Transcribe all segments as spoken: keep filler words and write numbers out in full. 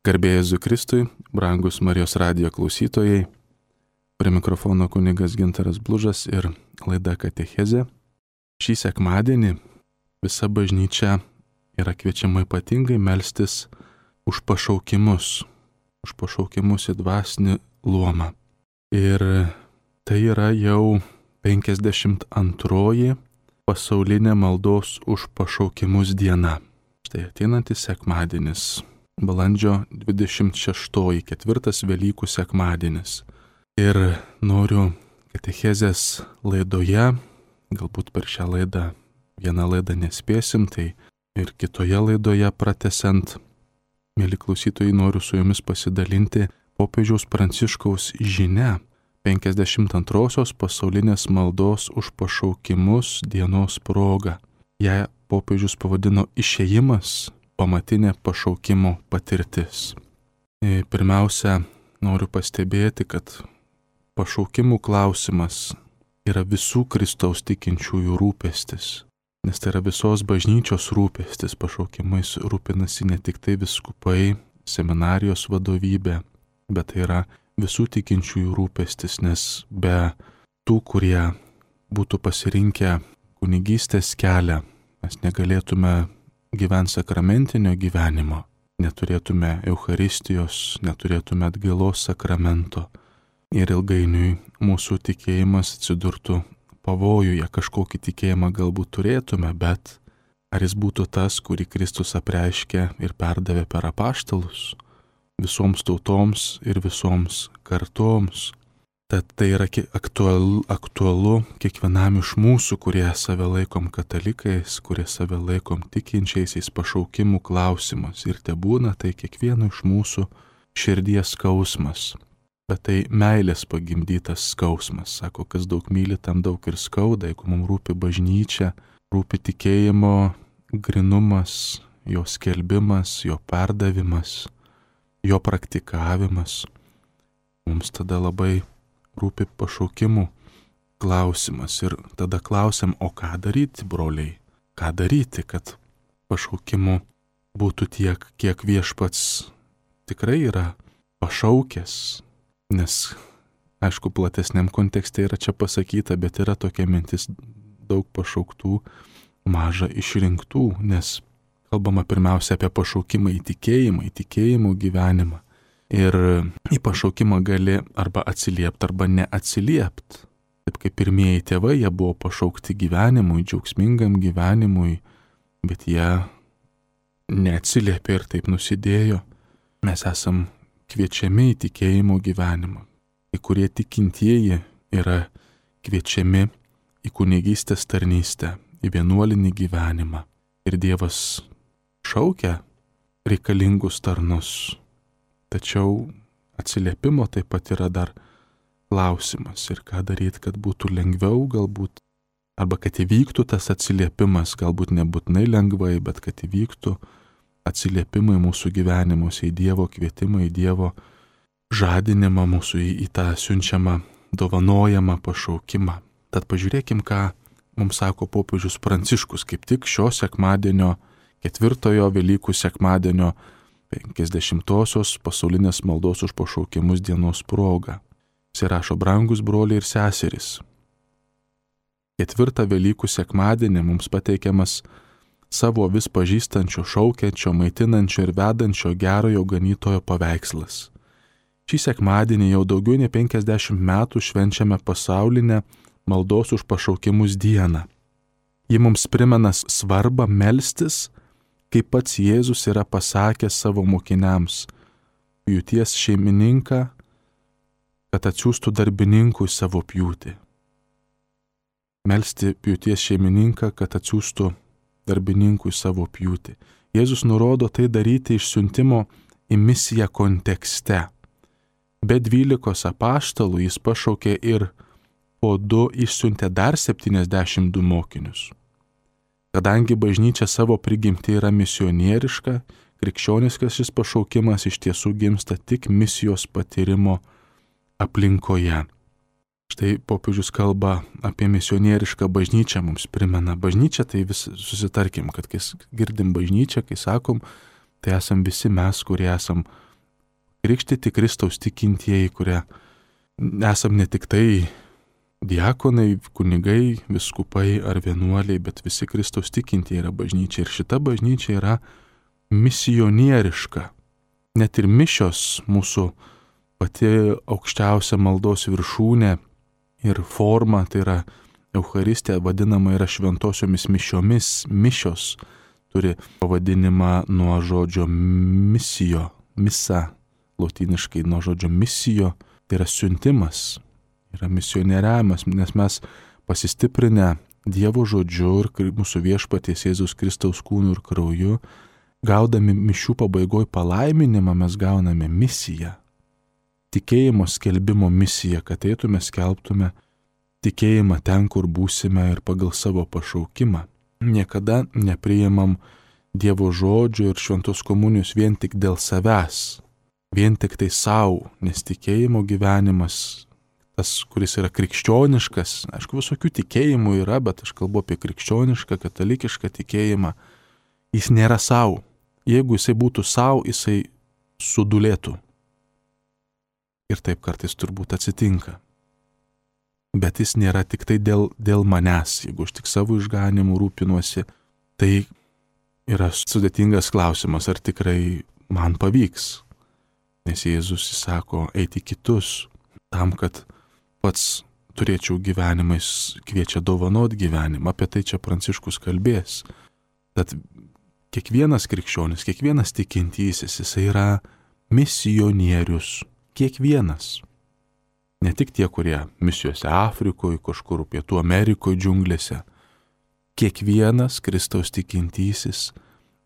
Garbė Jėzui Kristui, brangus Marijos radijo klausytojai, prie mikrofono kunigas Gintaras Blužas ir laida Katechezė. Šį sekmadienį visa bažnyčia yra kviečiama ypatingai melstis už pašaukimus, už pašaukimus į dvasinį luomą. Ir tai yra jau penkiasdešimt antroji pasaulinė maldos už pašaukimus diena. Štai ateinantis sekmadienis. Balandžio dvidešimt šeštoji, ketvirtas Velykų sekmadienis. Ir noriu Katechezės laidoje, galbūt per šią laidą vieną laidą nespėsim, tai ir kitoje laidoje pratęsiant, mėly klausytojai, noriu su jumis pasidalinti popiežiaus Pranciškaus žinia penkiasdešimt antrosios pasaulinės maldos už pašaukimus dienos proga. Ją popiežius pavadino Išėjimas, pamatinė pašaukimo patirtis. Pirmiausia, noriu pastebėti, kad pašaukimų klausimas yra visų Kristaus tikinčiųjų rūpestis, nes tai yra visos bažnyčios rūpestis. Pašaukimais rūpinasi ne tik tai vyskupai, seminarijos vadovybė, bet tai yra visų tikinčiųjų rūpestis, nes be tų, kurie būtų pasirinkę kunigystės kelią, mes negalėtume gyventi sakramentinio gyvenimo, neturėtume Eucharistijos, neturėtume atgailos sakramento ir ilgainiui mūsų tikėjimas atsidurtų pavojuje. Kažkokį tikėjimą galbūt turėtume, bet ar jis būtų tas, kurį Kristus apreiškė ir perdavė per apaštalus visoms tautoms ir visoms kartoms? Tad tai yra aktualu, aktualu kiekvienam iš mūsų, kurie save laikom katalikais, kurie save laikom tikinčiaisiais, pašaukimų klausimas. Ir te būna tai kiekvieno iš mūsų širdies skausmas. Bet tai meilės pagimdytas skausmas. Sako, kas daug myli, tam daug ir skauda. Jeigu mums rūpi bažnyčia, rūpi tikėjimo grynumas, jo skelbimas, jo perdavimas, jo praktikavimas, mums tada labai rūpi pašaukimų klausimas. Ir tada klausiam, o ką daryti, broliai? Ką daryti, kad pašaukimų būtų tiek, kiek viešpats tikrai yra pašaukęs? Nes, aišku, platesniam kontekste yra čia pasakyta, bet yra tokia mintis: daug pašauktų, maža išrinktų, nes kalbama pirmiausia apie pašaukimą į tikėjimą, į tikėjimų gyvenimą. Ir į pašaukimą gali arba atsiliepti, arba neatsiliepti. Taip kaip pirmieji tėvai, jie buvo pašaukti gyvenimui, džiaugsmingam gyvenimui, bet jie neatsiliepė ir taip nusidėjo. Mes esam kviečiami į tikėjimo gyvenimą. Į kurie tikintieji yra kviečiami į kunigystės tarnystę, į vienuolinį gyvenimą. Ir Dievas šaukia reikalingus tarnus. Tačiau atsiliepimo taip pat yra dar klausimas. Ir ką daryti, kad būtų lengviau galbūt, arba kad įvyktų tas atsiliepimas, galbūt nebūtinai lengvai, bet kad įvyktų atsiliepimai mūsų gyvenimuose, į Dievo kvietimą, į Dievo žadinimą mūsų, į, į tą siunčiamą, dovanojamą pašaukimą. Tad pažiūrėkim, ką mums sako popiežius Pranciškus, kaip tik šio sekmadienio, ketvirtojo Velykų sekmadienio, penkiasdešimtosios pasaulinės maldos už pašaukimus dienos proga. Jis rašo: brangus broliai ir seserys, ketvirtą Velykų sekmadienį mums pateikiamas savo vis pažįstančio, šaukiančio, maitinančio ir vedančio gerojo ganytojo paveikslas. Šį sekmadienį jau daugiau nei penkiasdešimt metų švenčiame pasaulinę maldos už pašaukimus dieną. Ji mums primena svarbą melstis, kaip pats Jėzus yra pasakęs savo mokiniams: pjūties šeimininką, kad atsiųstų darbininkų į savo pjūtį. Melsti pjūties šeimininką, kad atsiųstų darbininkų į savo pjūtį. Jėzus nurodo tai daryti išsiuntimo į misiją kontekste. Be dvylikos apaštalų jis pašaukė ir po du išsiuntė dar septyniasdešimt du mokinius. Kadangi bažnyčia savo prigimtį yra misionieriška, krikščioniškas šis pašaukimas iš tiesų gimsta tik misijos patyrimo aplinkoje. Štai popiežius kalba apie misionierišką bažnyčią, mums primena bažnyčią, tai vis susitarkim, kad kai girdim bažnyčią, kai sakom, tai esam visi mes, kurie esam krikštyti Kristaus tikintieji, kurie esam ne tik tai diakonai, kunigai, viskupai ar vienuoliai, bet visi Kristaus tikintieji yra bažnyčia. Ir šita bažnyčia yra misionieriška. Net ir mišios mūsų pati aukščiausia maldos viršūnė ir forma, tai yra Eucharistija, vadinama yra šventosiomis mišiomis. Mišios turi pavadinimą nuo žodžio misijo, misa, lotyniškai nuo žodžio misijo, tai yra siuntimas, yra misionieriavimas, nes mes pasistiprinę Dievo žodžiu ir mūsų viešpaties Jėzaus Kristaus kūnu ir krauju, gaudami mišių pabaigoj palaiminimą, mes gauname misiją. Tikėjimo skelbimo misiją, kad eitume skelbtume tikėjimą ten, kur būsime ir pagal savo pašaukimą. Niekada nepriimam Dievo žodžio ir šventos komunijos vien tik dėl savęs, vien tik tai savo, nes tikėjimo gyvenimas, tas, kuris yra krikščioniškas, aišku, visokių tikėjimų yra, bet aš kalbu apie krikščionišką, katalikišką tikėjimą, jis nėra savo. Jeigu jisai būtų savo, jisai sudulėtų. Ir taip kartais turbūt atsitinka. Bet jis nėra tik tai dėl, dėl manęs. Jeigu aš tik savo išganimu rūpinuosi, tai yra sudėtingas klausimas, ar tikrai man pavyks. Nes Jėzus įsako eiti kitus, tam, kad pats turėčiau gyvenimą, jis kviečia dovanot gyvenimą. Apie tai čia Pranciškus kalbės. Tad kiekvienas krikščionis, kiekvienas tikintysis, jisai yra misionierius. Kiekvienas. Ne tik tie, kurie misijose Afrikoje, kažkur Pietų Amerikoje, džiunglėse. Kiekvienas Kristaus tikintysis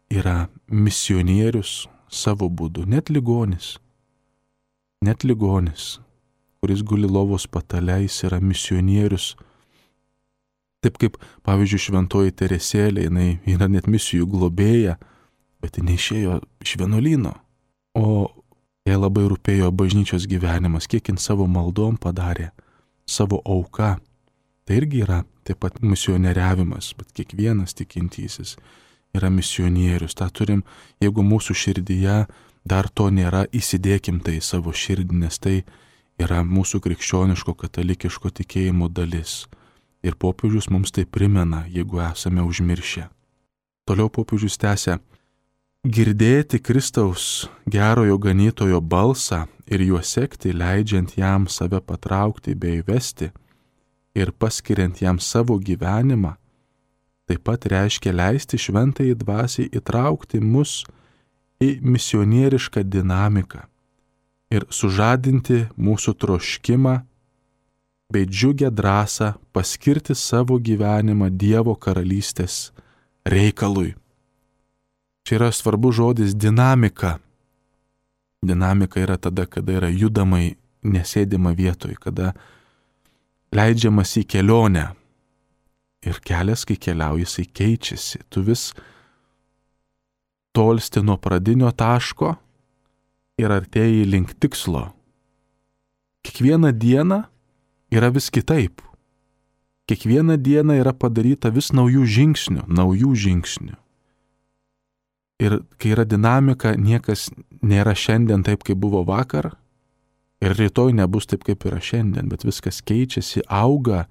yra misionierius savo būdu. Net ligonis. Net ligonis, kuris guli lovos patale, jis yra misionierius. Taip kaip, pavyzdžiui, šventoji Teresėlė, jinai yra net misijų globėja, bet jinai išėjo iš vienuolyno. O jai labai rūpėjo bažnyčios gyvenimas, kiek jin savo maldom padarė, savo auka. Tai irgi yra taip pat misionieriavimas, bet kiekvienas tikintysis yra misionierius. Ta turim, jeigu mūsų širdyje dar to nėra, įsidėkim tai į savo širdį, nes tai yra mūsų krikščioniško katalikiško tikėjimo dalis. Ir popiežius mums tai primena, jeigu esame užmiršę. Toliau popiežius tęsia: girdėti Kristaus gerojo ganytojo balsą ir juo sekti, leidžiant jam save patraukti bei vesti ir paskiriant jam savo gyvenimą, taip pat reiškia leisti šventajai dvasiai įtraukti mus į misionierišką dinamiką ir sužadinti mūsų troškimą bei džiugę drąsą paskirti savo gyvenimą Dievo karalystės reikalui. Čia yra svarbus žodis dinamika. Dinamika yra tada, kada yra judamai, nesėdima vietoj, kada leidžiamas į kelionę. Ir kelias, kai keliauji, jisai keičiasi. Tu vis tolsti nuo pradinio taško ir artėji link tikslo. Kiekvieną dieną yra vis kitaip. Kiekvieną dieną yra padaryta vis naujų žingsnių, naujų žingsnių. Ir kai yra dinamika, niekas nėra šiandien taip, kaip buvo vakar, ir rytoj nebus taip, kaip yra šiandien, bet viskas keičiasi, auga,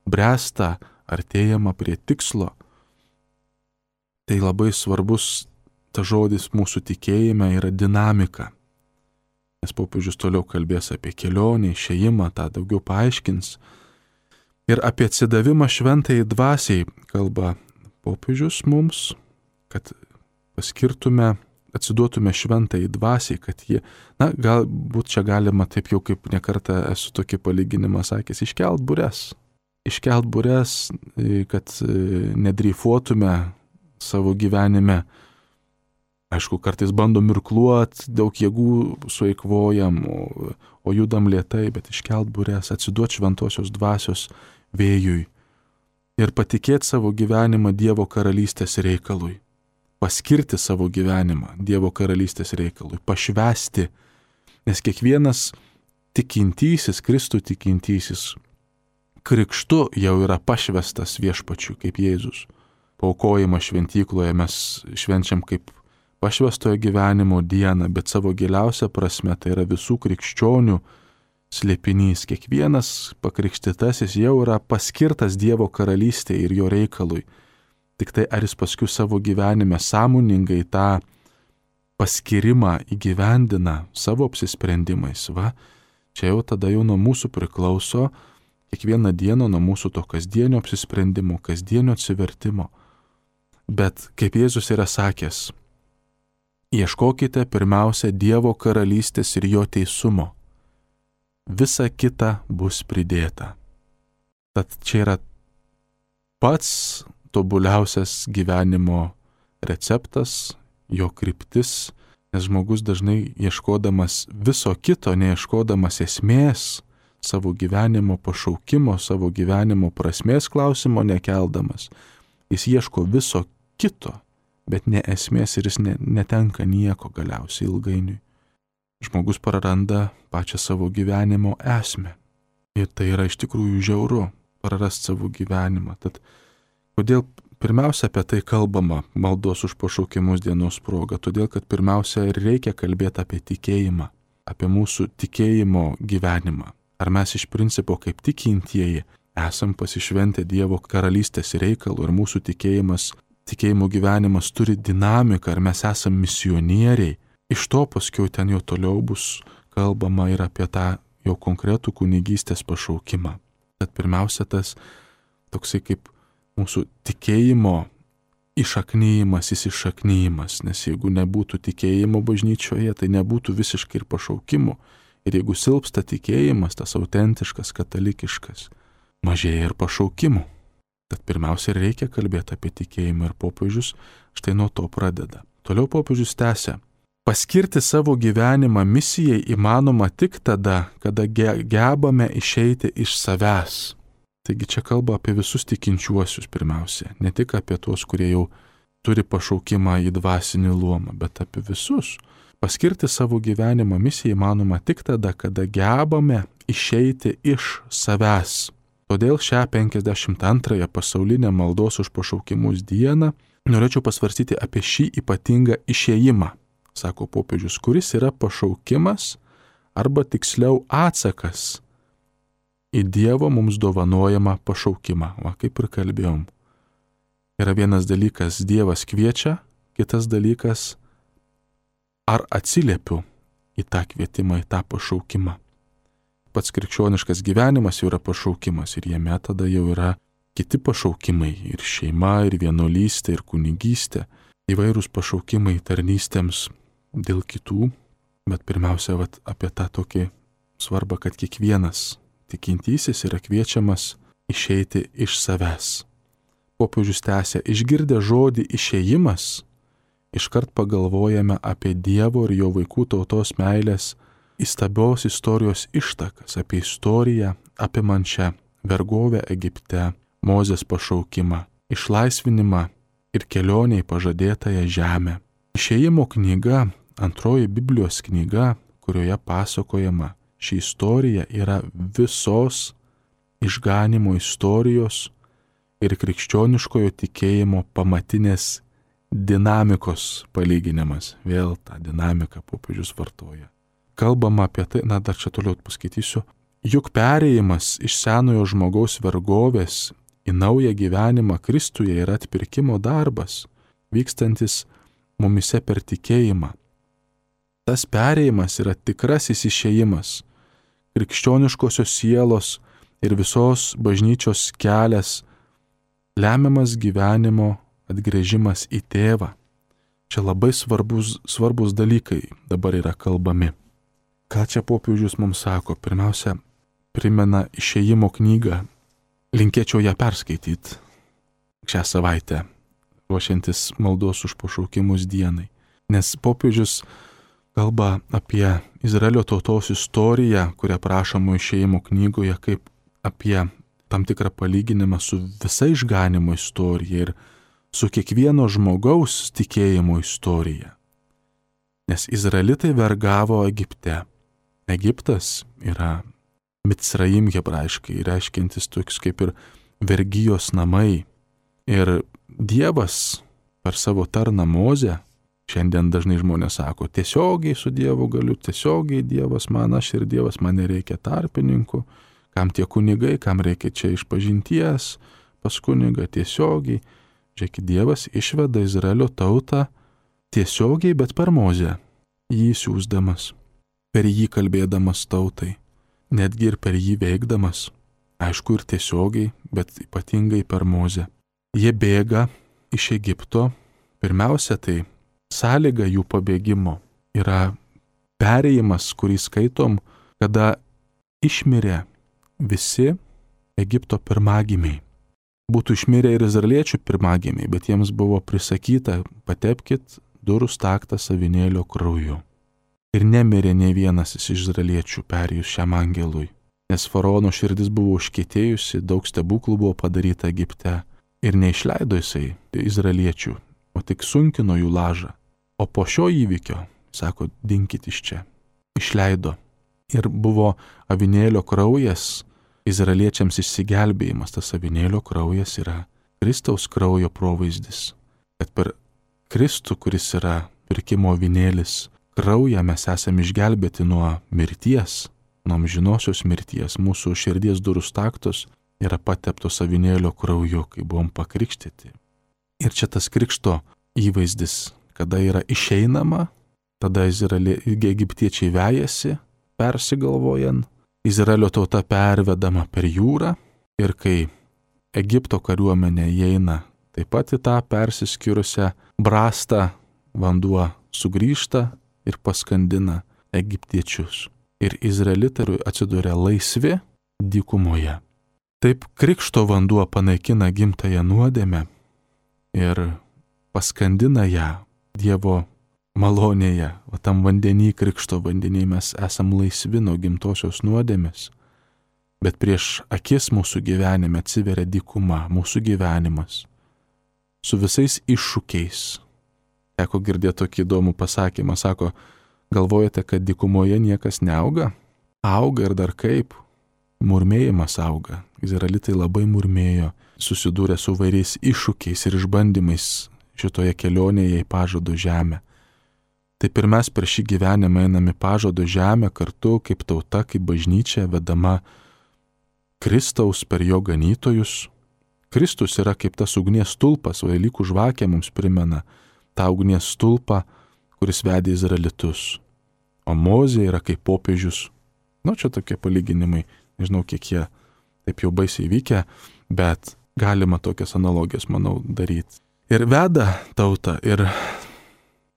bręsta, artėjama prie tikslo. Tai labai svarbus ta žodis mūsų tikėjime yra dinamika. Nes popiežius toliau kalbės apie kelionę, išėjimą, tą daugiau paaiškins. Ir apie atsidavimą šventajai dvasiai kalba popiežius mums, kad paskirtume, atsiduotume šventajai dvasiai, kad jie, na, galbūt čia galima taip jau kaip nekartą esu tokį palyginimą sakęs, iškelt bures. Iškelt bures, kad nedreifuotume savo gyvenime. Aišku, kartais bandom irkluot, daug jėgų sueikvojam, o, o judam lėtai, bet iškelt bures, atsiduot šventosios dvasios vėjui ir patikėti savo gyvenimą Dievo karalystės reikalui. Paskirti savo gyvenimą Dievo karalystės reikalui, pašvęsti, nes kiekvienas tikintysis, Kristų tikintysis, krikštu jau yra pašvęstas viešpačiu, kaip Jėzus. Paaukojimą šventykloje mes švenčiam kaip pašvęstojo gyvenimo dieną, bet savo giliausia prasme tai yra visų krikščionių slėpinys. Kiekvienas pakrikštytasis jau yra paskirtas Dievo karalystėje ir jo reikalui. Tik tai ar jis paskui savo gyvenime sąmoningai tą paskirimą įgyvendina savo apsisprendimais. Va, čia jau tada jau nuo mūsų priklauso kiekvieną dieną, nuo mūsų to kasdienio apsisprendimo, kasdienio atsivertimo. Bet kaip Jėzus yra sakęs, ieškokite pirmiausia Dievo karalystės ir jo teisumo. Visa kita bus pridėta. Tad čia yra pats tobuliausias gyvenimo receptas, jo kryptis, nes žmogus dažnai ieškodamas viso kito, neieškodamas esmės, savo gyvenimo pašaukimo, savo gyvenimo prasmės klausimo nekeldamas, jis ieško viso kito, bet ne esmės ir jis ne, netenka nieko galiausiai ilgainiui. Žmogus praranda pačią savo gyvenimo esmę. Ir tai yra iš tikrųjų žiauru, prarasti savo gyvenimą. Tad kodėl pirmiausia apie tai kalbama maldos už pašaukimus dienos proga? Todėl, kad pirmiausia ir reikia kalbėti apie tikėjimą, apie mūsų tikėjimo gyvenimą. Ar mes iš principo kaip tikintieji esam pasišventę Dievo karalystės reikalų ir mūsų tikėjimas, tikėjimo gyvenimas turi dinamiką, ar mes esam misionieriai. Iš to paskui ten jau toliau bus kalbama ir apie tą jau konkretų kunigystės pašaukimą. Tad pirmiausia tas toksai kaip mūsų tikėjimo išaknyjimas, įsišaknyjimas, nes jeigu nebūtų tikėjimo bažnyčioje, tai nebūtų visiškai ir pašaukimų. Ir jeigu silpsta tikėjimas, tas autentiškas, katalikiškas, mažėja ir pašaukimų. Tad pirmiausia reikia kalbėti apie tikėjimą ir popiežius štai nuo to pradeda. Toliau popiežius tęsia. Paskirti savo gyvenimą misijai įmanoma tik tada, kada gebame išeiti iš savęs. Taigi čia kalba apie visus tikinčiuosius pirmiausia, ne tik apie tuos, kurie jau turi pašaukimą į dvasinį luomą, bet apie visus. Paskirti savo gyvenimą misijai įmanoma tik tada, kada gebame išeiti iš savęs. Todėl šią penkiasdešimt antrąją pasaulinę maldos už pašaukimus dieną norėčiau pasvarstyti apie šį ypatingą išėjimą, sako popiežius, kuris yra pašaukimas arba tiksliau atsakas į Dievo mums dovanojamą pašaukimą. Va, kaip ir kalbėjom. Yra vienas dalykas, Dievas kviečia, kitas dalykas, ar atsiliepiu į tą kvietimą, į tą pašaukimą. Pats krikščioniškas gyvenimas jau yra pašaukimas ir jame tada jau yra kiti pašaukimai ir šeima, ir vienuolystė, ir kunigystė, įvairūs pašaukimai tarnystėms dėl kitų, bet pirmiausia vat, apie tą tokį svarbą, kad kiekvienas tikintysis yra kviečiamas išeiti iš savęs. Popiežius tęsia, išgirdę žodį išėjimas, iškart pagalvojame apie Dievo ir jo vaikų tautos meilės įstabios istorijos ištakas, apie istoriją apimančią vergovę Egipte, Mozės pašaukimą, išlaisvinimą ir kelionę į pažadėtąją žemę. Išėjimo knyga, antroji Biblijos knyga, kurioje pasakojama ši istorija, yra visos išganimo istorijos ir krikščioniškojo tikėjimo pamatinės dinamikos palyginimas. Vėl tą dinamiką popiežius vartoja. Kalbama apie tai, na dar čia toliau paskaitysiu, juk perėjimas iš senojo žmogaus vergovės į naują gyvenimą Kristuje yra atpirkimo darbas, vykstantis mumise per tikėjimą. Tas perėjimas yra tikrasis išėjimas, krikščioniškosios sielos ir visos bažnyčios kelias, lemiamas gyvenimo atgręžimas į tėvą. Čia labai svarbus, svarbus dalykai dabar yra kalbami. Ką čia popiežius mums sako? Pirmiausia, primena išėjimo knygą. Linkėčiau ją perskaityti šią savaitę, ruošiantis maldos už pašaukimus dienai. Nes popiežius kalba apie Izraelio tautos istoriją, kurią prašoma išėjimo knygoje, kaip apie tam tikrą palyginimą su visa išganimo istorija ir su kiekvieno žmogaus tikėjimo istorija. Nes izraelitai vergavo Egipte. Egiptas yra Micraim hebrajiškai, reiškiantis toks kaip ir vergijos namai. Ir Dievas per savo tarną Mozę Šiandien dažnai žmonės sako, tiesiogiai su Dievu galiu, tiesiogiai Dievas man, aš ir Dievas, man nereikia tarpininkų, kam tie kunigai, kam reikia čia išpažinties, pas kunigą tiesiogiai. Žiūrėkit, Dievas išveda Izraelio tautą tiesiogiai, bet per Mozę, jį siųsdamas, per jį kalbėdamas tautai, netgi ir per jį veikdamas, aišku ir tiesiogiai, bet ypatingai per Mozę. Jie bėga iš Egipto, pirmiausia tai sąlyga jų pabėgimo yra perėjimas, kurį skaitom, kada išmirė visi Egipto pirmagimiai. Būtų išmirę ir izraeliečių pirmagimiai, bet jiems buvo prisakyta, patepkit durų staktą avinėlio krauju. Ir nemirė nei vienas iš izraeliečių perėjus šiam angelui, nes faraono širdis buvo užkietėjusi, daug stebuklų buvo padaryta Egipte ir neišleido jisai izraeliečių, o tik sunkino jų lažą. O po šio įvykio, sako, dinkit iš čia, išleido. Ir buvo avinėlio kraujas izraeliečiams išsigelbėjimas. Tas avinėlio kraujas yra Kristaus kraujo provaizdis. Kad per Kristų, kuris yra pirkimo avinėlis, kraują mes esame išgelbėti nuo mirties, nuo amžinosios mirties. Mūsų širdies durų staktos yra pateptos avinėlio krauju, kai buvom pakrikštyti. Ir čia tas krikšto įvaizdis, kada yra išeinama, tada Izraelė, egiptiečiai vejasi, persigalvojant, Izraelio tauta pervedama per jūrą ir kai Egipto kariuomenė įeina taip pat į tą persiskyrusią brastą, vanduo sugrįžta ir paskandina egiptiečius. Ir izraelitai atsiduria laisvi dykumoje. Taip krikšto vanduo panaikina gimtąją nuodėmę ir paskandina ją Dievo malonėje, o tam vandenį, krikšto vandenį mes esam laisvi nuo gimtosios nuodėmės, bet prieš akis mūsų gyvenime atsiveria dykuma, mūsų gyvenimas, su visais iššūkiais. Teko girdėti tokį įdomų pasakymą, sako, galvojate, kad dykumoje niekas neauga? Auga ir dar kaip, murmėjimas auga. Izraelitai labai murmėjo, susidūrė su vairiais iššūkiais ir išbandymais šitoje kelionėje į pažado žemę. Taip ir mes per šį gyvenimą einame į pažado žemę kartu kaip tauta, kaip bažnyčia, vedama Kristaus per jo ganytojus. Kristus yra kaip tas ugnies stulpas, Velykų žvakė mums primena tą ugnies stulpą, kuris vedė izraelitus. O Mozė yra kaip popiežius. Nu, čia tokie palyginimai, nežinau, kiek jie taip jau baisiai vykę, bet galima tokias analogijas, manau, daryti. Ir veda tautą, ir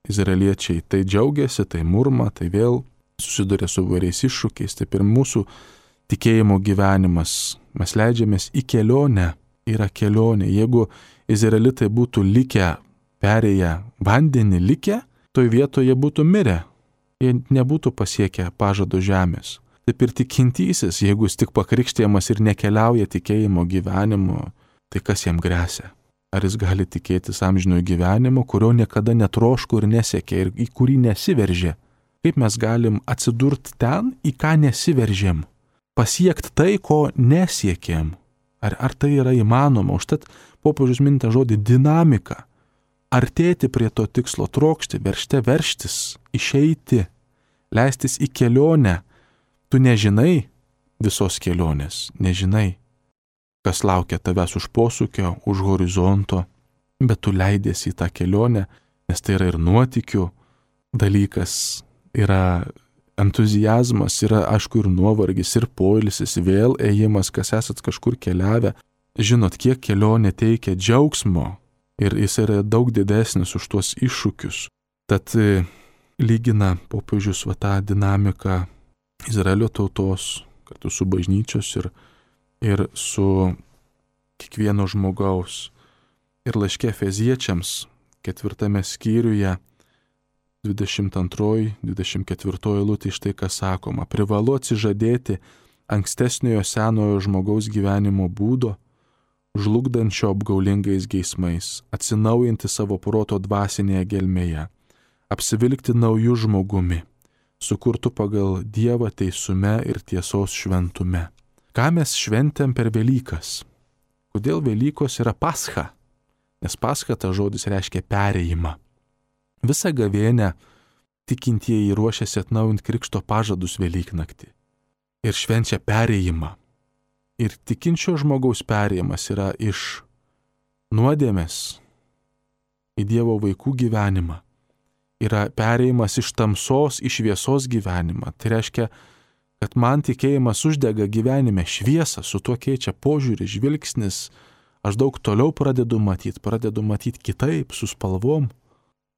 izraeliečiai tai džiaugiasi, tai murma, tai vėl susiduria su vairiais iššūkiais. Taip ir mūsų tikėjimo gyvenimas, mes leidžiamės į kelionę, yra kelionė. Jeigu izraelitai būtų likę, perėję vandenį likę, toj vietoje būtų mirę, jie nebūtų pasiekę pažado žemės. Taip ir tikintysis, jeigu jis tik pakrikštijamas ir nekeliauja tikėjimo gyvenimu, tai kas jam gresia? Ar jis gali tikėtis amžinojo gyvenimo, kurio niekada netroško ir nesiekė ir į kurį nesiveržė? Kaip mes galim atsidurti ten, į ką nesiveržėm? Pasiekti tai, ko nesiekėm? Ar, ar tai yra įmanoma? Užtat popiežius minta žodį dinamika. Artėti prie to tikslo, trokšti, veržte verštis, išeiti, leistis į kelionę. Tu nežinai visos kelionės, nežinai, kas laukia tavęs už posūkio, už horizonto, bet tu leidiesi į tą kelionę, nes tai yra ir nuotykių dalykas, yra entuzijazmas, yra aišku ir nuovargis, ir poilsis, vėl ėjimas, kas esat kažkur keliavę. Žinot, kiek kelionė teikia džiaugsmo ir jis yra daug didesnis už tuos iššūkius. Tad lygina popiežius va tą dinamiką Izraelio tautos, kartu su bažnyčios ir ir su kiekvieno žmogaus. Ir laiške Efeziečiams ketvirtame skyriuje dvidešimt antroji dvidešimt ketvirtoji eilutė štai kas sakoma. Privalu atsižadėti ankstesniojo senojo žmogaus gyvenimo būdo, žlugdančio apgaulingais geismais, atsinaujinti savo proto dvasinėje gelmėje, apsivilkti naujų žmogumi, sukurtų pagal Dievą teisume ir tiesos šventume. Ką mes šventėm per Velykas? Kodėl Velykos yra pascha? Nes pascha ta žodis reiškia perėjimą. Visą gavėnią tikintieji ruošiasi atnaujinti krikšto pažadus Velyknaktį ir švenčia perėjimą. Ir tikinčio žmogaus perėjimas yra iš nuodėmės į Dievo vaikų gyvenimą. Yra perėjimas iš tamsos į šviesos gyvenimą. Tai reiškia, kad man tikėjimas uždega gyvenime šviesą, su tuo keičia požiūrį, žvilgsnis. Aš daug toliau pradedu matyti, pradedu matyti kitaip, su spalvom.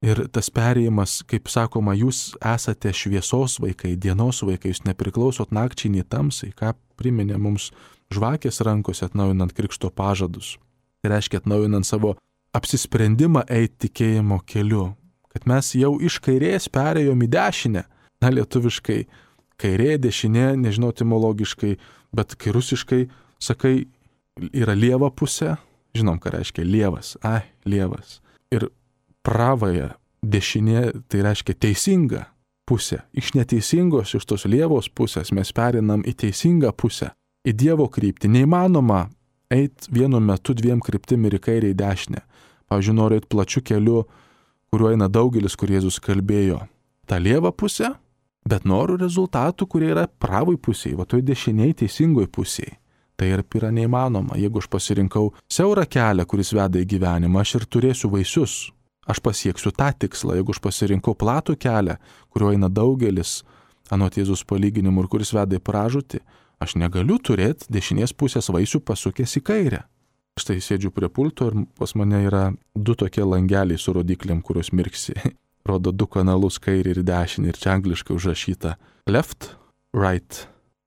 Ir tas perėjimas, kaip sakoma, jūs esate šviesos vaikai, dienos vaikai, jūs nepriklausot nakčiai nei tamsai, ką priminė mums žvakės rankose atnaujinant krikšto pažadus. Tai reiškia atnaujinant savo apsisprendimą eiti tikėjimo keliu, kad mes jau iš kairės perėjom į dešinę. Na, lietuviškai kairė, dešinė, nežinau etimologiškai, bet kai rusiškai sakai, yra lieva pusė, žinom, ką reiškia lievas, ai, lievas. Ir pravąją dešinė, tai reiškia teisinga pusė. Iš neteisingos, iš tos lievos pusės mes perinam į teisingą pusę, į Dievo kryptį. Neįmanoma eiti vienu metu dviem kryptim ir į kairę, į dešinę. Pavyzdžiui, noriu eiti plačiu keliu, kuriuo eina daugelis, kur Jėzus kalbėjo. Ta lieva pusė, bet noriu rezultatų, kurie yra pravai pusėje, va toj dešiniai teisingoj pusėje. Tai ir yra neįmanoma. Jeigu aš pasirinkau siaurą kelią, kuris veda į gyvenimą, aš ir turėsiu vaisius. Aš pasieksiu tą tikslą. Jeigu aš pasirinkau platų kelią, kuriuo eina daugelis, anot Jėzus palyginimų ir kuris veda į pražūtį, aš negaliu turėti dešinės pusės vaisių pasukęs į kairę. Štai sėdžiu prie pulto ir pas mane yra du tokie langeliai su rodiklėm, kurios mirksi. Rodo du kanalus, kairį ir dešinį, ir čia angliškai užrašyta left, right,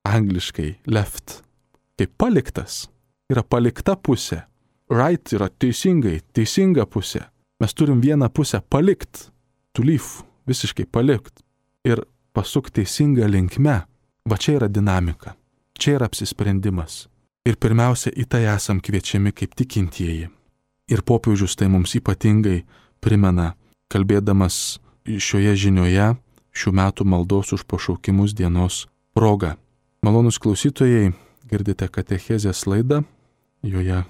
angliškai left. Kaip paliktas, yra palikta pusė. Right yra teisingai, teisinga pusė. Mes turim vieną pusę palikt, to leave, visiškai palikt ir pasuk teisinga linkme. Va čia yra dinamika, čia yra apsisprendimas. Ir pirmiausia, į tai esam kviečiami kaip tikintieji. Ir popiežius tai mums ypatingai primena, kalbėdamas šioje žinioje šių metų maldos už pašaukimus dienos proga. Malonūs klausytojai, girdite katechezės laidą, joje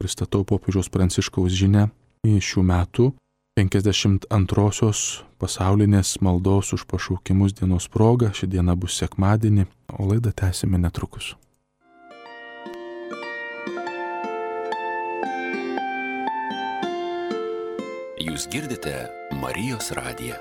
pristatau popiežiaus Pranciškaus žinią į šių metų penkiasdešimt antrosios pasaulinės maldos už pašaukimus dienos proga. Ši diena bus sekmadienį, o laidą tęsime netrukus. Jūs girdite Marijos radiją.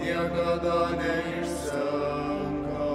Niekada neišsenka.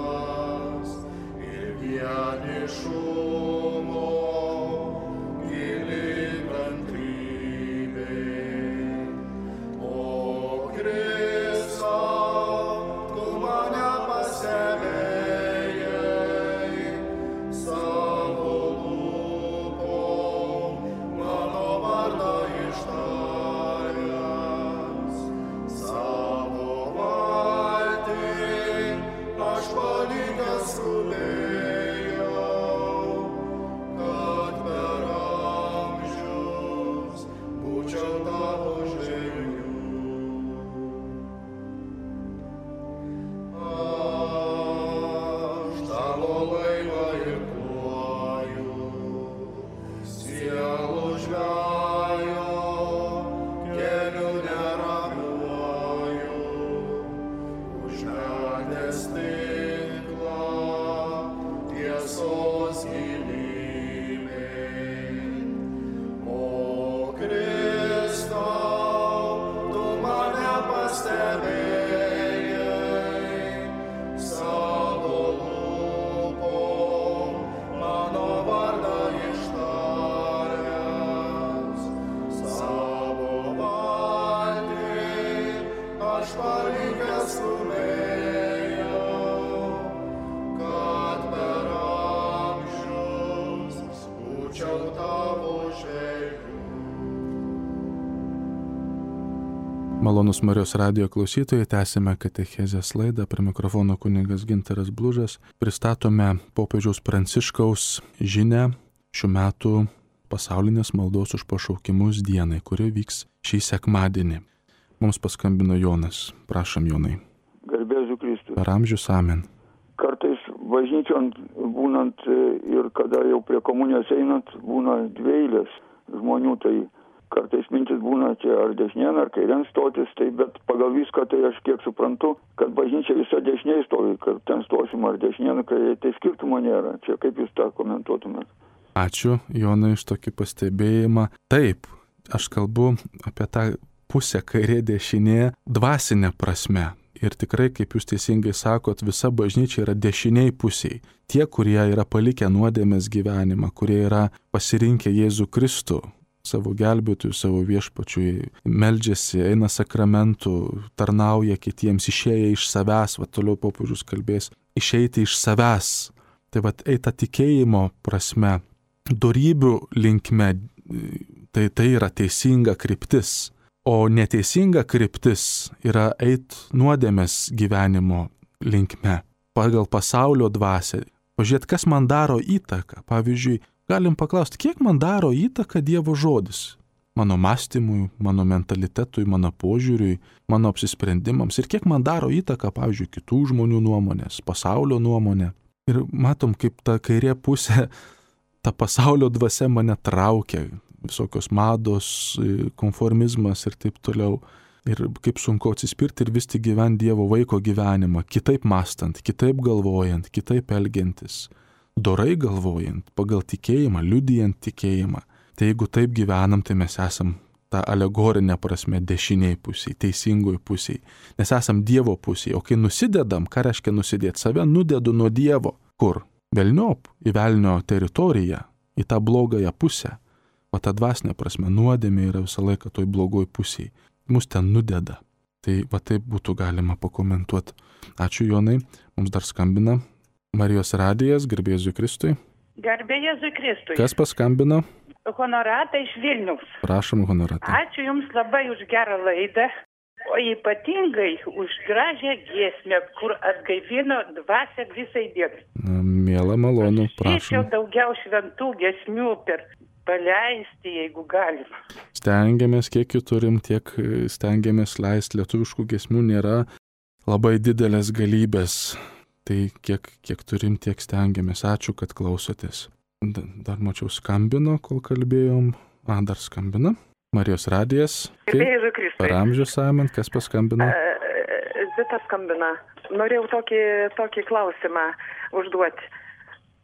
Malonus Marijos radijo klausytojai, tęsime katechezės laidą, prie mikrofono kunigas Gintaras Blužas. Pristatome popiežiaus Pranciškaus žinią šių metų pasaulinės maldos už pašaukimus dienai, kuri vyks šį sekmadienį. Mums paskambino Jonas. Prašom, Jonai. Garbėsiu Kristui. Per amžius amen. Kartais bažnyčion būnant ir kada jau prie komunijos einant, būna dvi eilės žmonių, tai kartais mintis būna čia ar dešinėn, ar kairien stotis, tai bet pagal viską tai aš kiek suprantu, kad bažnyčia visa dešiniai stovi, kad ten stosim ar dešinėn, kairien, tai skirtumo nėra. Čia kaip jūs tą komentuotumėt? Ačiū, Jonai, iš tokį pastebėjimą. Taip, aš kalbu apie tą pusę kairė dešinė dvasinė prasme. Ir tikrai, kaip jūs teisingai sakot, visa bažnyčia yra dešiniai pusiai. Tie, kurie yra palikę nuodėmės gyvenimą, kurie yra pasirinkę Jėzų Kristų, savo gelbėtojų, savo viešpačiui, meldžiasi, eina sakramentų, tarnauja kitiems, išėję iš savęs, va toliau popiežius kalbės, išeiti iš savęs. Tai va eita tikėjimo prasme, dorybių linkme, tai tai yra teisinga kryptis. O neteisinga kryptis yra eit nuodėmės gyvenimo linkme, pagal pasaulio dvasią. Pažiūrėt, kas man daro įtaką. Pavyzdžiui, galim paklausti, kiek man daro įtaką Dievo žodis? Mano mąstymui, mano mentalitetui, mano požiūriui, mano apsisprendimams. Ir kiek man daro įtaką, pavyzdžiui, kitų žmonių nuomonės, pasaulio nuomonė. Ir matom, kaip ta kairė pusė, ta pasaulio dvasia mane traukia. Visokios mados, konformizmas ir taip toliau. Ir kaip sunku atsispirti ir vis tik gyventi Dievo vaiko gyvenimą, kitaip mąstant, kitaip galvojant, kitaip elgiantis, dorai galvojant, pagal tikėjimą, liudijant tikėjimą. Tai jeigu taip gyvenam, tai mes esam tą alegorinę prasme dešiniai pusiai, teisingoj pusiai. Nes esam Dievo pusiai, o kai nusidedam, ką reiškia nusidėti? Save nudedu nuo Dievo. Kur? Velniop, į velnio teritoriją, į tą blogąją pusę. O ta dvasinė prasme nuodėmė yra visą laiką toj blogoj pusiai. Mus ten nudeda. Tai va taip būtų galima pakomentuoti. Ačiū, Jonai. Mums dar skambina Marijos radijas, garbė Jėzui Kristui. Garbė Jėzui Kristui. Kas paskambino? Honorata iš Vilniaus. Prašom, Honorata. Ačiū Jums labai už gerą laidą, o ypatingai už gražią giesmę, kur atgaivino dvasią visai dienai. Miela, malonu, prašom. Šiaip jau daugiau šventų giesmių per paleisti, jeigu galima. Stengiamės, kiek jų turim, tiek stengiamės leisti. Lietuviškų giesmių nėra labai didelės galybės. Tai kiek, kiek turim, tiek stengiamės. Ačiū, kad klausotės. Dar mačiau skambino, kol kalbėjom. A, dar skambina. Marijos radijas. Garbė Kristui. Per amžius amen, kas paskambino? Zita skambina. Norėjau tokį, tokį klausimą užduoti.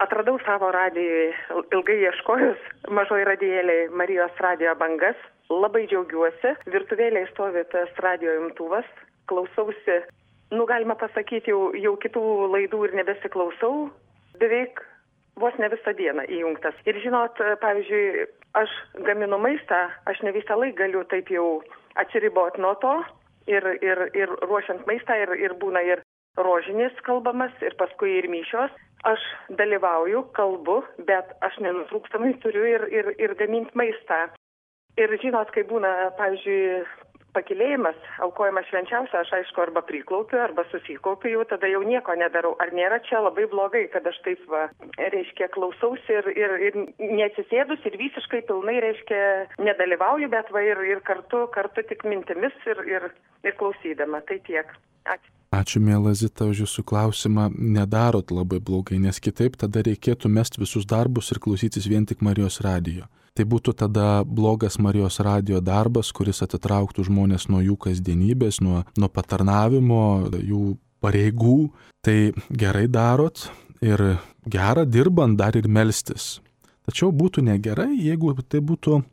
Atradau savo radijui, ilgai ieškojus, mažoj radijėliai Marijos radijo bangas. Labai džiaugiuosi. Virtuvėlėje stovi tas radijo imtuvas. Klausausi, nu galima pasakyti, jau, jau kitų laidų ir nebesiklausau. Beveik vos ne visą dieną įjungtas. Ir žinot, pavyzdžiui, aš gaminu maistą, aš ne visą laiką galiu taip jau atsiriboti nuo to. Ir, ir, ir ruošiant maistą, ir, ir būna ir rožinis kalbamas, ir paskui ir mišios. Aš dalyvauju, kalbu, bet aš nenutrūkstamai turiu ir, ir, ir gaminti maistą. Ir žinot, kai būna, pavyzdžiui, pakilėjimas, aukojimas švenčiausia, aš aišku arba priklaupiu, arba susikaupiu, jau tada jau nieko nedarau. Ar nėra čia labai blogai, kad aš taip, va, reiškia, klausausi ir, ir, ir neatsisėdus ir visiškai pilnai, reiškia, nedalyvauju, bet va ir, ir kartu, kartu tik mintimis ir, ir, ir klausydama. Tai tiek. Ačiū. Ačiū, miela Zita, už jūsų klausimą. Nedarot labai blogai, nes kitaip tada reikėtų mesti visus darbus ir klausytis vien tik Marijos radijo. Tai būtų tada blogas Marijos radijo darbas, kuris atitrauktų žmonės nuo jų kasdienybės, nuo, nuo patarnavimo, jų pareigų. Tai gerai darot ir gera dirbant dar ir melstis. Tačiau būtų negerai, jeigu tai būtų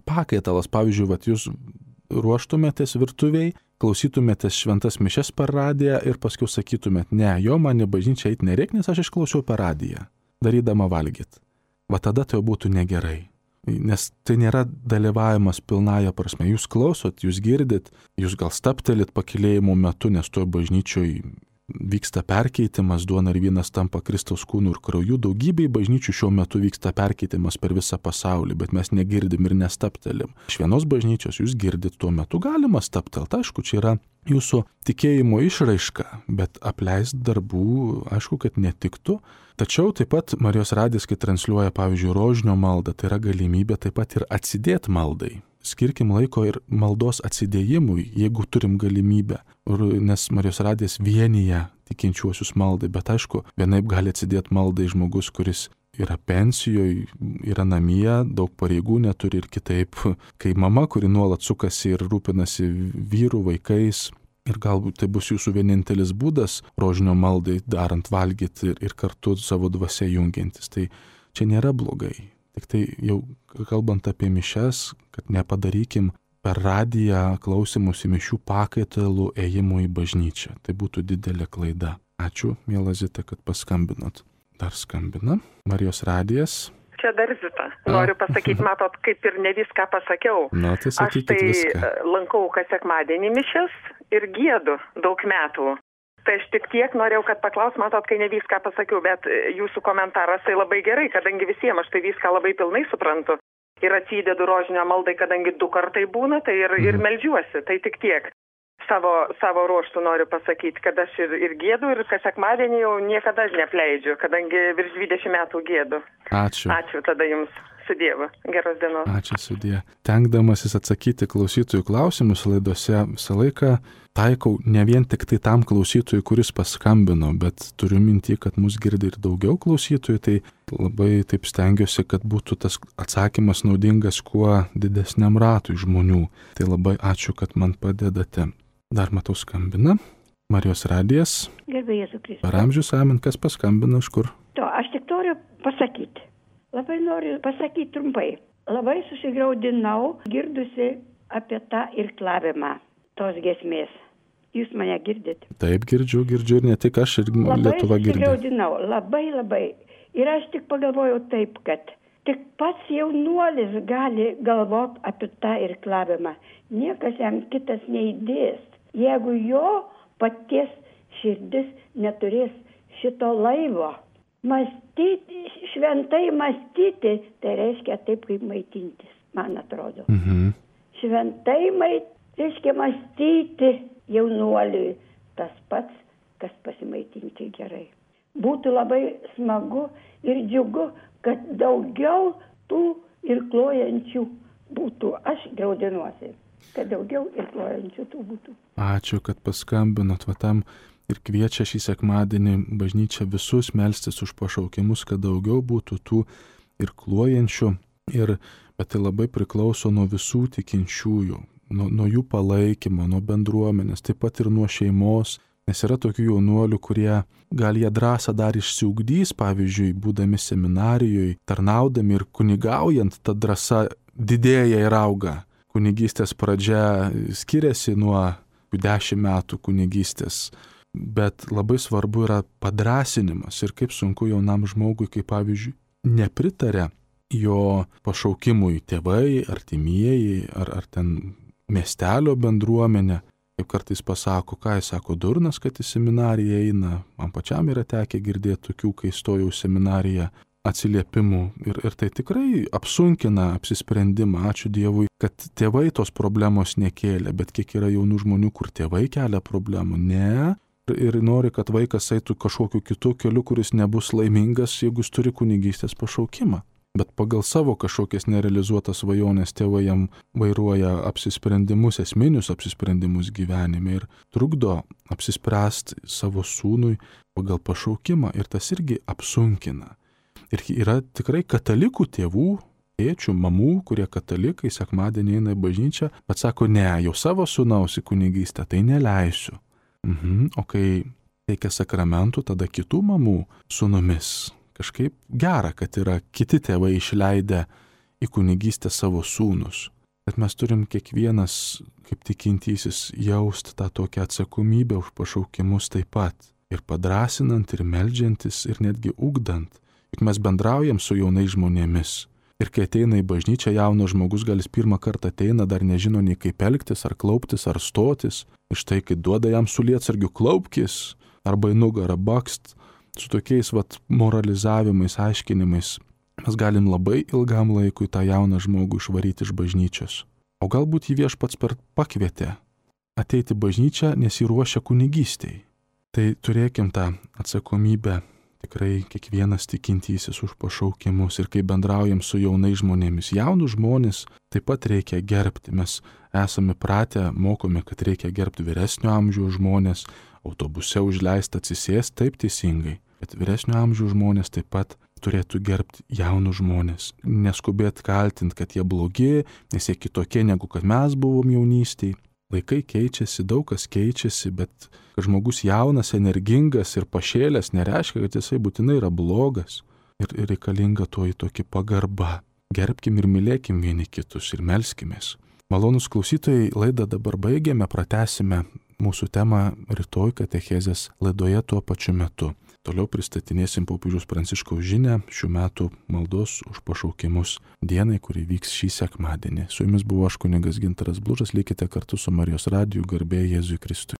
pakaitalas. Pavyzdžiui, vat jūs ruoštumėtės virtuviai, klausytumėtės šventas mišias per radiją ir paskui sakytumėt, ne, jo man į bažnyčią eiti nereikia, nes aš išklausiau per radiją, darydama valgyt. Va tada tai būtų negerai. Nes tai nėra dalyvavimas pilnąja prasme. Jūs klausot, jūs girdit, jūs gal staptelit pakilėjimo metu, nes toj bažnyčioj vyksta perkeitimas, duona ir vynas tampa Kristaus kūnu ir krauju. Daugybei bažnyčių šiuo metu vyksta perkeitimas per visą pasaulį, bet mes negirdim ir nestaptelim. Iš vienos bažnyčios jūs girdit, tuo metu galima staptelt. Aišku, čia yra jūsų tikėjimo išraiška, bet apleist darbų, aišku, kad netiktų. Tačiau taip pat Marijos radijas, kai transliuoja, pavyzdžiui, rožinio maldą, tai yra galimybė taip pat ir atsidėti maldai. Skirkim laiko ir maldos atsidėjimui, jeigu turim galimybę, nes Marijos radijas vienyje tikinčiuosius maldai, bet aišku, vienaip gali atsidėti maldai žmogus, kuris yra pensijoje, yra namie, daug pareigų neturi ir kitaip, kai mama, kuri nuolat sukasi ir rūpinasi vyrų, vaikais, ir galbūt tai bus jūsų vienintelis būdas rožinio maldai darant valgyti ir, ir kartu savo dvasia jungiantis, tai čia nėra blogai. Tik tai jau kalbant apie mišias, kad nepadarykim per radiją klausimus į mišių pakaitalų ėjimo į bažnyčią. Tai būtų didelė klaida. Ačiū, miela Zita, kad paskambinot. Dar skambina. Marijos radijas. Čia dar Zita. Noriu pasakyti, matot, kaip ir ne viską pasakiau. Na, tai sakykit viską. Aš tai lankau kas sekmadienį mišias ir giedu daug metų. Tai aš tik tiek norėjau, kad paklaus, matot, kai ne viską pasakiau, bet jūsų komentaras tai labai gerai, kadangi visiems aš tai viską labai pilnai suprantu. Ir atsidedu rožinio maldai, kadangi du kartai būna, tai ir, ir meldžiuosi, tai tik tiek. Savo, savo ruoštų noriu pasakyti, kad aš ir, ir gėdu, ir kas sekmadienį jau niekada neapleidžiu, kadangi virš dvidešimt metų gėdu. Ačiū. Ačiū tada jums. Su Dievu. Geros dienos. Ačiū sudie. Tenkdamasis atsakyti klausytojų klausimus laidose visą laiką taikau ne vien tik tai tam klausytojui, kuris paskambino, bet turiu mintį, kad mus girdi ir daugiau klausytojų, tai labai taip stengiuosi, kad būtų tas atsakymas naudingas kuo didesniam ratui žmonių. Tai labai ačiū, kad man padedate. Dar matau skambina. Marijos radijas. Gerbė Jėzų Kristų. Per amžius amen, kas paskambino, iš kur? To, aš tik noriu pasakyti. Labai noriu pasakyti trumpai. Labai susigraudinau, girdusi apie tą irklavimą tos giesmės. Jūs mane girdite? Taip, girdžiu, girdžiu ir ne tik aš, ir Lietuva girdė. Labai susigraudinau, labai, labai. Ir aš tik pagalvojau taip, kad tik pats jaunuolis gali galvoti apie tą irklavimą. Niekas jam kitas neįdės. Jeigu jo paties širdis neturės šito laivo. Mąstyti, šventai mąstyti, tai reiškia taip, kaip maitintis, man atrodo. Mhm. Šventai mait, reiškia mąstyti jaunuoliui tas pats, kas pasimaitinti gerai. Būtų labai smagu ir džiugu, kad daugiau tų irkluojančių būtų. Aš graudinuosi, kad daugiau irkluojančių tų būtų. Ačiū, kad paskambinot va tam. Ir kviečia šį sekmadienį bažnyčią visus melstis už pašaukimus, kad daugiau būtų tų irkluojančių. Ir, bet tai labai priklauso nuo visų tikinčiųjų, nuo, nuo jų palaikymo, nuo bendruomenės, taip pat ir nuo šeimos. Nes yra tokių jaunuolių, kurie gal jie drąsą dar išsiugdys, pavyzdžiui, būdami seminarijoje, tarnaudami ir kunigaujant, ta drąsa didėja ir auga. Kunigystės pradžia skiriasi nuo dešimt metų kunigystės. Bet labai svarbu yra padrąsinimas ir kaip sunku jaunam žmogui, kaip pavyzdžiui, nepritarė jo pašaukimui tėvai, artimieji ar, ar ten miestelio bendruomenė. Kaip kartais pasako, ką jis sako, durnas, kad į seminariją eina. Man pačiam yra tekę girdėti tokių, kai stojau į seminariją, atsiliepimų. Ir, ir tai tikrai apsunkina apsisprendimą. Ačiū Dievui, kad tėvai tos problemos nekėlė, bet kiek yra jaunų žmonių, kur tėvai kelia problemų. Ne. Ir nori, kad vaikas eitų kažkokiu kitu keliu, kuris nebus laimingas, jeigu jis turi kunigystės pašaukimą. Bet pagal savo kažkokias nerealizuotas svajonės tėvai jam vairuoja apsisprendimus, esminius apsisprendimus gyvenime ir trukdo apsispręsti savo sūnui pagal pašaukimą. Ir tas irgi apsunkina. Ir yra tikrai katalikų tėvų, tėčių, mamų, kurie katalikai sekmadienį eina į bažnyčią, bet sako, ne, jau savo sūnaus į kunigystę tai neleisiu. Mhm. O kai teikia sakramentų, tada kitų mamų sūnumis. Kažkaip gera, kad yra kiti tėvai išleidę į kunigystę savo sūnus. Bet mes turim kiekvienas, kaip tikintysis, jausti tą tokią atsakomybę už pašaukimus taip pat. Ir padrasinant, ir meldžiantis, ir netgi ugdant. Juk mes bendraujam su jaunais žmonėmis. Ir kai ateina į bažnyčią jaunas žmogus, gal jis pirmą kartą ateina, dar nežino nei kaip elgtis, ar klauptis, ar stotis. Ir štai, kai duoda jam su lietsargiu klaupkis, arba į nugarą bakst, su tokiais vat moralizavimais, aiškinimais mes galim labai ilgam laikui tą jauną žmogų išvaryti iš bažnyčios. O galbūt jį viešpats per pakvietė ateiti bažnyčią, nes jį ruošia kunigystei. Tai turėkim tą atsakomybę tikrai kiekvienas tikintysis už pašaukimus ir kai bendraujam su jaunais žmonėmis. Jaunus žmonės taip pat reikia gerbti. Mes esame pratę, mokome, kad reikia gerbti vyresnio amžiaus žmonės, autobuse užleista atsisėsti, taip teisingai. Bet vyresnio amžiaus žmonės taip pat turėtų gerbti jaunus žmonės. Neskubėti kaltinti, kad jie blogi, nes jie kitokie negu kad mes buvom jaunystėje. Laikai keičiasi, daug kas keičiasi, bet kad žmogus jaunas, energingas ir pašėlęs nereiškia, kad jisai būtinai yra blogas. Ir, ir reikalinga to į tokį pagarbą. Gerbkim ir mylėkim vieni kitus ir melskimės. Malonus klausytojai, laidą dabar baigėme, pratęsime mūsų temą rytoj katechezės laidoje tuo pačiu metu. Toliau pristatinėsim popiežiaus Pranciškaus žinią šių metų maldos už pašaukimus dienai, kuri vyks šį sekmadienį. Su jumis buvo aš kunigas Gintaras Blužas, likite kartu su Marijos radiju, garbė Jėzui Kristui.